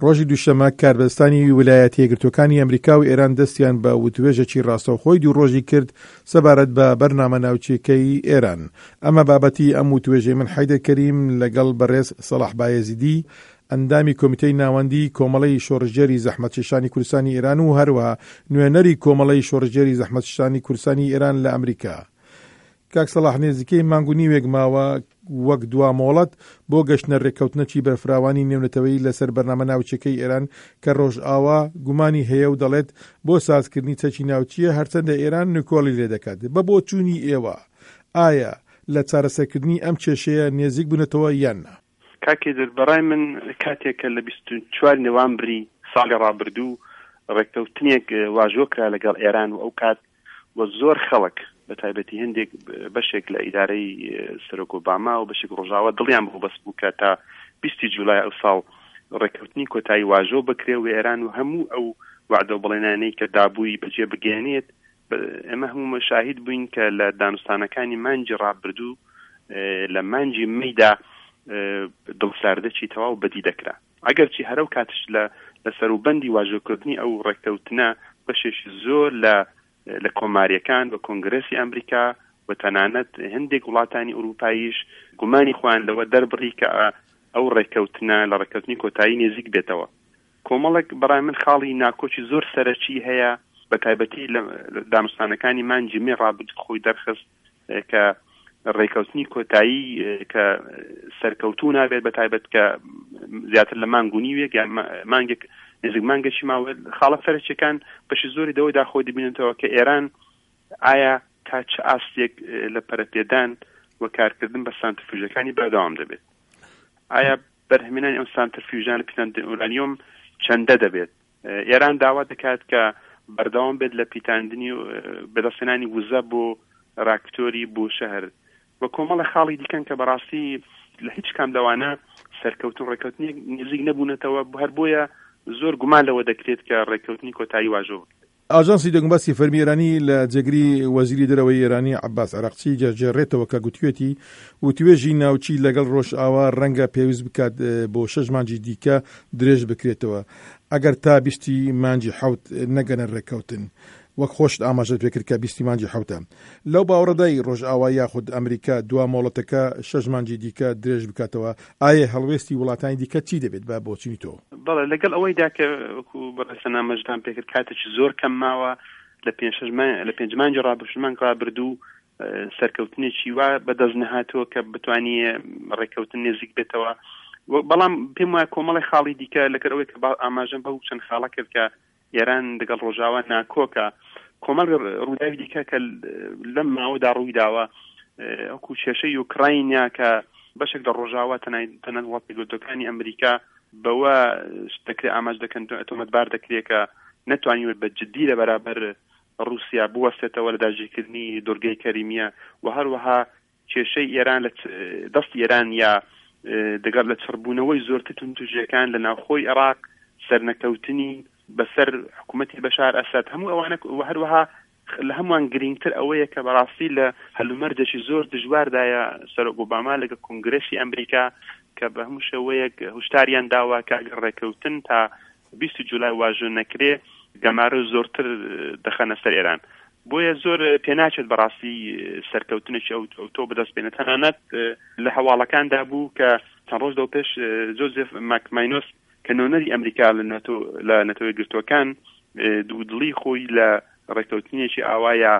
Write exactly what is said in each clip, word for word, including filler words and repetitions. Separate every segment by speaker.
Speaker 1: ڕۆژی دووشەممە کاربەدەستانی ویلایەتە یەکگرتووەکانی ئەمریکا و ئێران دەستیان بە وتوێژێکی ڕاستەوخۆی دوو ڕۆژی کرد سەبارەت بە بەرنامە ناوچیەکەی ئێران. ئەمە بابەتی ئەم وتوێژەی من حەیدەر کەریم لەگەڵ بەڕێز سەڵاح بایەزیدی ئەندامی کۆمیتەی ناوەندی کۆمەڵەی شۆڕشگێری زەحمەتکێشانی کوردستانی ئێران و هەروەها نوێنەری کۆمەڵەی شۆڕشگێری زەحمەتکێشانی کوردستانی ئێران لە ئەمریکا. کاک سەڵاح نێزیکەی مانگ و نیوێک ماوە وەک دوا مۆڵەت بۆ گەشتنە رێککەوتنەکی بەرفراوانی نێونەتەوەیی لەسەر بەرنامە ناوچیەکەی ئێران کە رۆژئاوا گومانی هەیە و دەڵێت بۆ سازکردنی چەکی ناوچیە هەرچەندە ئێران نکۆڵی لێدەکات. بە بۆچوونی ئێوە ئایا لە چارەسەرکردنی ئەم کێشەیە نێزیک بوونەتەوە یان نا؟
Speaker 2: کاک هێدر، بەڕای من کاتێک کە لە بیست و چوار نوامبری ساڵی ڕابردوو ڕێککەوتنێک واژۆ کرا لەگەڵ ئێران و ئەو کات و زۆر خەڵک بە تایبەتی هەندێک بەشێک لە ئیدارەی سەرۆک ئۆباما و بەشێک ڕۆژاوا دڵیان بۆ بەس بوو کە تا بیستی جولای ئەو ساڵ ڕێککەوتنی کۆتایی واژۆ بکرێ و ئێران و هەموو ئەو وعدە و بەڵێنانەی کە دابووی بەجێ بگەیەنێت. ئێمە هەموو شاهید بووین کە لە دانوستانەکانی مانگی ڕابردوو لە مانگی مەیدا دڵساردەکی تەواو بەدی دەکرا، ئەگەرچی هەرەو کاتش لە لە سەروبەندی واژۆکردنی ئەو ڕێککەوتنە بەشێکی زۆر لە لە کۆماریەکان و کۆنگرێسی ئەمریکا و تەنانەت هەندێک وڵاتانی ئەوروپاییش گومانی خۆیان لەوە دەربڕی کە ئەو ڕێککەوتنە لە ڕێککەوتنی کۆتایی نێزیک بێتەوە. کۆمەڵێک بەڕای من خاڵی ناکۆکی زۆر سەرەکی هەیە، بە تایبەتی لە دانوستانەکانی مانگی مێ ڕابردوو خۆی دەرخست کە ڕێککەوتنی کۆتایی کە سەرکەوتوو نابێت، بە تایبەت کە زیاتر لە مانگ و نیوێک یان مانگێک نزیک مانگێکی ماوە. خاڵە سەرەکیەکان بەشی زۆری دەوەدا خۆی دەبینێتەوە کە ئێران ئایا تا چ ئاستێک لە پەرەپێدان و کارکردن بە سانترفیوژەکانی بەردەوام دەبێت، ئایا بەرهەمهێنانی ئەم سانترفیوژان لە پیتاندنی ئورانیۆم چەندە دەبێت. ئێران داوا دەکات کە بەردەوام بێت لە پیتاندنی بەدەستهێنانی وزە بۆ راکتۆری بۆ شەهر و کۆمەڵە خاڵی دیکەن کە بەڕاستی لە هیچ کام لەوانە سەرکەوتن ڕێککەوتنێک نزیک نەبوونەتەوە، هەر بۆیە زۆر گومان لەوە دەکرێت کە ڕێککەوتنی کۆتایی واژۆ بکرێت.
Speaker 1: ئاژانسی دەنگوباسی فەرمی ئێرانی لە جێگری وەزیری دەرەوەی ئێرانی عەباس عراقچی دەگێڕێتەوە کە گوتوێتی وتوێژی ناوچی لەگەڵ ڕۆژئاوا ڕەنگە پێویست بکات بۆ شەش مانگی دیکە درێژ بکرێتەوە ئەگەر تا بیستی مانگی حەوت نەگەنە ڕێککەوتن. وەک خۆشت ئاماژەت پێکرد کە بیستی مانگی حەوتە. لەو باوەڕەدای ڕۆژئاوا یاخود ئەمریکا دوا مۆڵەتەکە شەش مانگی دیکە درێژ بکاتەوە، ئایا هەڵوێستی وڵاتانی دیکە چی دەبێت بە بۆچینی تۆ؟
Speaker 2: بەڵێ، لەگەڵ ئەوەیدا کە وەکو بەڕێز ئاماژەتان پێکرد کاتێکی زۆر کەم ماوە لە پێنج شەش مانگ، لە پێنج مانگی ڕابردوو، شەش مانگ ڕابردوو سەرکەوتنێکی وا بەدەست نەهاتووە کە بتوانێ ڕێککەوتن نزیک بێتەوە. بەڵام پێم وایە کۆمەڵی خاڵی دیکە لەگەڵ ئەوەی کە ئاماژەم بەو چەند خاڵە کرد کە ئێران لەگەڵ ڕۆژاوا ناکۆکە، کۆمەڵ ڕووداوی دیکە کە لەم ماوەدا ڕوویداوە وەکو کێشەی یوکراینیا کە بەشێک لە ڕۆژاوا تەنانەت وڵاتە یەکگرتووەکانی ئەمریکا بەوە دەکرێت ئاماژ دەکەن تۆمەتبار دەکرێت کە نەتوانیوە بە جدی لە بەرابەر ڕووسیا بوەستێتەوە لە داگیرکردنی دورگەی کەریمیە و هەروەها کێشەی ئێران لە دەستی ئێران یا دەگەڵ لە چڕبوونەوەی زۆرتر توندوتیژیەکان لە ناوخۆی عێراق، سەرنەکەوتنی بەسەر حکوومەتی بەشار ئەسەد، هەموو ئەوانە و هەروەها لە هەمووان گرنگتر ئەوەیە کە بەڕاستی لە هەلومەرجێکی زۆر دژواردایە سەرۆک ئۆباما لەگەڵ کۆنگرێسی ئەمریکا کە بە هەموو شێوەیەک هوشداریان داوە کە ئەگەر ڕێککەوتن تا بیست جولای واژۆ نەکرێ گەمارۆ زۆرتر دەخەنە سەر ئێران. بۆیە زۆر پێناچێت بەڕاستی سەرکەوتنێکی ئەو تۆ بەدەست بێنێت. تەنانەت لە هەواڵەکاندا بوو کە چەند ڕۆژ لەو پێش جۆزێف ماکماینۆس کە نوێنەری ئەمریکا لە نەتەوە یەکگرتووەکان دوودڵی خۆی لە ڕێککەوتنێکی ئاوایە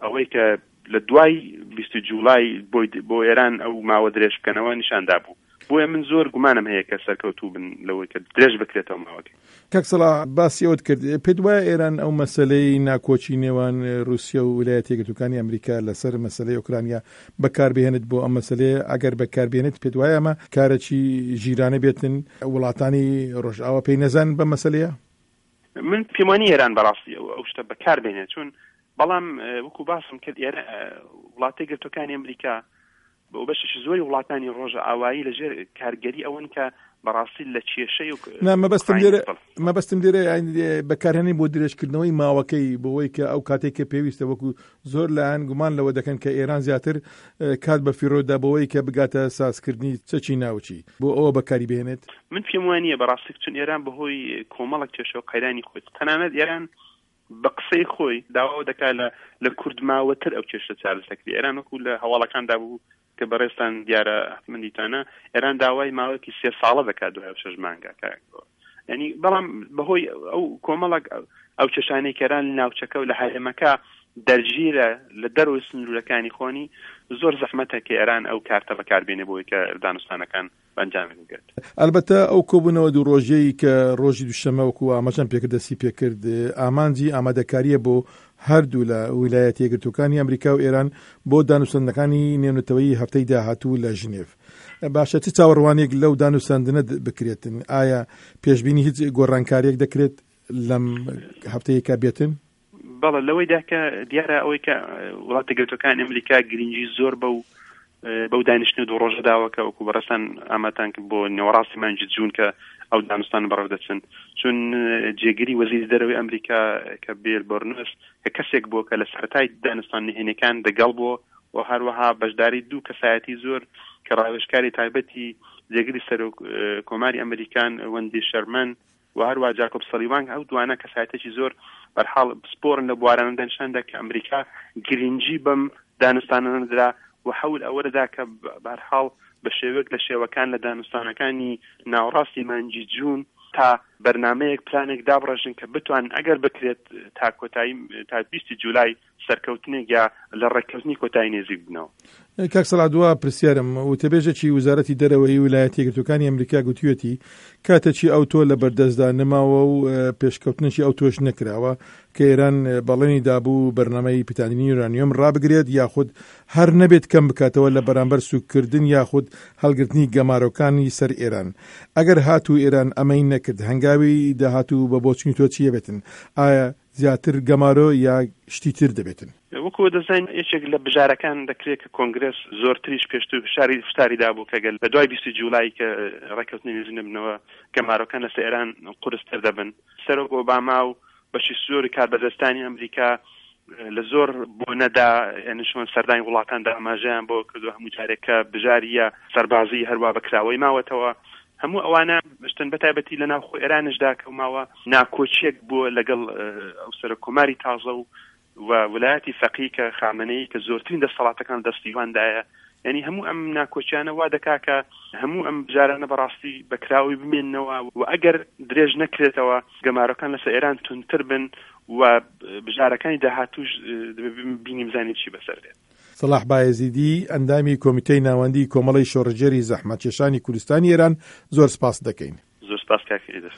Speaker 2: ئەوەی کە لە دوای بیست جوولای بۆ ئێران ئەو ماوە درێژ بکەنەوە نیشاندا بوو. بۆیە من زۆر گومانم هەیە کە سەرکەوتوو بن لەوەی کە درێژ بکرێتەوە ماوەکەی.
Speaker 1: کاک سەڵاح باسی ئەوت کرد، پێت وایە ئێران ئەو مەسەلەی ناکۆکی نێوان رووسیا و ویلایەتە یەکگرتووەکانی ئەمریکا لەسەر مەسەلەی ئۆکرانیا بەکاربهێنێت بۆ ئەم مەسەلەیە؟ ئەگەر بەکاربهێنێت پێت وایە ئەمە کارێکی ژیرانە بێتن وڵاتانی ڕۆژئاوا پێی نەزانن بە مەسەلەیە؟
Speaker 2: من پێم وانییە ئێران بەڕاستی ئەو شتە بەکاربهێنێت، چون بەڵام وەکو باسم کرد ئێرە وڵاتە یەکگرتووەکانی ئەمریکا بۆ بەشێکی زۆری وڵاتانی ڕۆژئاوایی لەژێر کارگەری ئەوەن کە بەڕاستی لە کێشەی
Speaker 1: نا مەبەستم لێرە مەبەستم لێرە بەکارهێنانی بۆ درێژکردنەوەی ماوەکەی بۆەوەی کە ئەو کاتێک کە پێویستە، وەکو زۆر لایەن گومان لەوە دەکەن کە ئێران زیاتر کات بە فیڕۆدا بۆەوەی کە بگاتە سازکردنی چەکی ناوچی، بۆ ئەوە بەکاری بهێنێت.
Speaker 2: من پێم وانییە بەڕاستی، چون ئێران بەهۆی کۆمەڵک کێشە و قەیرانی خۆی، تەنانەت ئێران بە قسەی خۆی داوا دەکات لە لە کورد ماوەتر ئەو کێشە چارەسەکری. ئێران وەکو لە هەواڵەکاندا بوو کە بەڕێزتان دیارە حتمەن دیتانە، ئێران داوای ماوەیەکی سێ ساڵە دەکات دوای شەش مانگە. ینی بەڵام بەهۆی ئەو کۆمەڵک ئەو کێشانەی کە ئێران لە ناوچەکە و لە هەرێمەکە دەرگیرە لە دەرەوەی سنوورەکانی خۆنی، زۆر زەحمەتە کە ئێران ئەو کارتە بەکاربێنێ بۆی کە دانوستانەکان بەئەنجام بگات.
Speaker 1: ئەلبەتە ئەو کۆبوونەوە دوو ڕۆژەی کە ڕۆژی دووشەممە وەکو ئاماژەم پێکرد دەستی پێکرد، ئامانجی ئامادەکاریە بۆ هەردوو لە ویلایەتە یەکگرتووەکانی ئەمریکا و ئێران بۆ دانوستاندنەکانی نێونەتەوەیی هەفتەی داهاتوو لە ژنێڤ. باشە چ چاوەڕوانێک لەو دانوستاندنە بکرێتن؟ ئایا پێشبینی هیچ گۆڕانکاریەک دەکرێت لەم هەفتەیەکە بێتن؟
Speaker 2: بەڵێ، لەوەیدا کە دیارە ئەوەی کە وڵاتە یەکگرتووەکانی ئەمریکا گرنگی زۆر بەو بەو دانیشتن دوو ڕۆژە داوە کە وەکو بەڕێزتان ئامادەتان کرد بۆ نێوەڕاستی مانگی جوون کە ئەو دانوستان بەڕێوە دەچن، چون جێگری وەزیری دەرەوەی ئەمریکا کە بیل بۆرنس کە کەسێک بووە کە لە سەرەتای دانوستان نهێنیەکان دەگەڵ بووە و هەروەها بەشداری دوو کەسایەتی زۆر کە ڕاوێژکاری تایبەتی جێگری سەرۆک کۆماری ئەمریکان وەندی شەرمەن و هەروە جاکۆب سەلیوان، ئەو دوانە کەسایەتێکی زۆر بەرحاڵ پسپۆرن لە بوارانەدا، نیشاندا کە ئەمریکا گرنگی بەم دانوستانانە درا و حەول ئەوە دەدا کە بەرحاڵ بە شێوەیەک لە شێوەکان لە دانوستانەکانی ناوەڕاستی مانگی جوون تا بەرنامەیەک پلانێک دابڕێژن کە بتوانن ئەگەر بکرێت تا کۆتایی تا بیستی جولای سەرکەوتنێک یا لە ڕێککەوتنی کۆتایی نێزیک بنەوە.
Speaker 1: کاک سەڵاح، دوا پرسیارم، وتەبێژێکی وەزارەتی دەرەوەی ویلایەتە یەکگرتووەکانی ئەمریکا گوتوویەتی کاتێکی ئەوتۆ لە بەردەستدا نەماوە و پێشکەوتنێکی ئەوتۆش نەکراوە کە ئێران بەڵێنی دابوو بەرنامەی پیتاندنی یورانیۆم ڕابگرێت یاخود هەر نەبێت کەم بکاتەوە لە بەرامبەر سوککردن یاخود هەڵگرتنی گەمارۆکانی سەر ئێران. ئەگەر هاتوو ئێران ئەمەی نەکرد، هەنگاوی داهاتوو بە بۆچونی تۆ چییە بێتن؟ ئایا زیاتر گەمارۆ یا شتی تر دەبێتن؟
Speaker 2: وەکو دەزانین یەکێک لە بژارەکان دەکرێت کە کۆنگرس زۆرتریش پێشتر فشاری فشاری دابوو کە گەل لە دوای بیستی جولای کە ڕێککەوتنی نزیک نەبنەوە گەمارۆکان لەسەر ئێران قورستر دەبن. سەرۆک ئۆباما و بەشی زۆری کاربەدەستانی ئەمریکا لە زۆر بۆنەدا یعنی چۆن سەردانی وڵاتاندا ئاماژەیان بۆ کردو هەموو جارێک کە بژاریە سەربازی هەروا بەکراوەی ماوەتەوە. هەموو ئەوانە شتن بە تایبەتی لە ناوخۆ ئێرانشدا کە ماوە ناکۆچیەک بووە لەگەڵ ئەو سەرۆک کۆماری تازە و و ولایەتی فەقی کە خامنەیی کە زۆرترین دەسەڵاتەکان دەستیواندایە. یعنی هەموو ئەم ناکۆچیانە وا دەکا کە هەموو ئەم بژارانە بەڕاستی بەکراوی بمێننەوە و ئەگەر درێژ نەکرێتەوە گەمارۆکان لەسەر ئێران توندتر بن و بژارەکانی داهاتوش بینیم زانین چی بەسەر دێت.
Speaker 1: سەڵاح بایەزیدی، ئەندامی کۆمیتەی ناوەندی کۆمەڵەی شۆڕشگێری زەحمەتکێشانی کوردستانی ئێران، زۆر سپاس دەکەین.
Speaker 2: زۆر سپاس کاک ئیدر.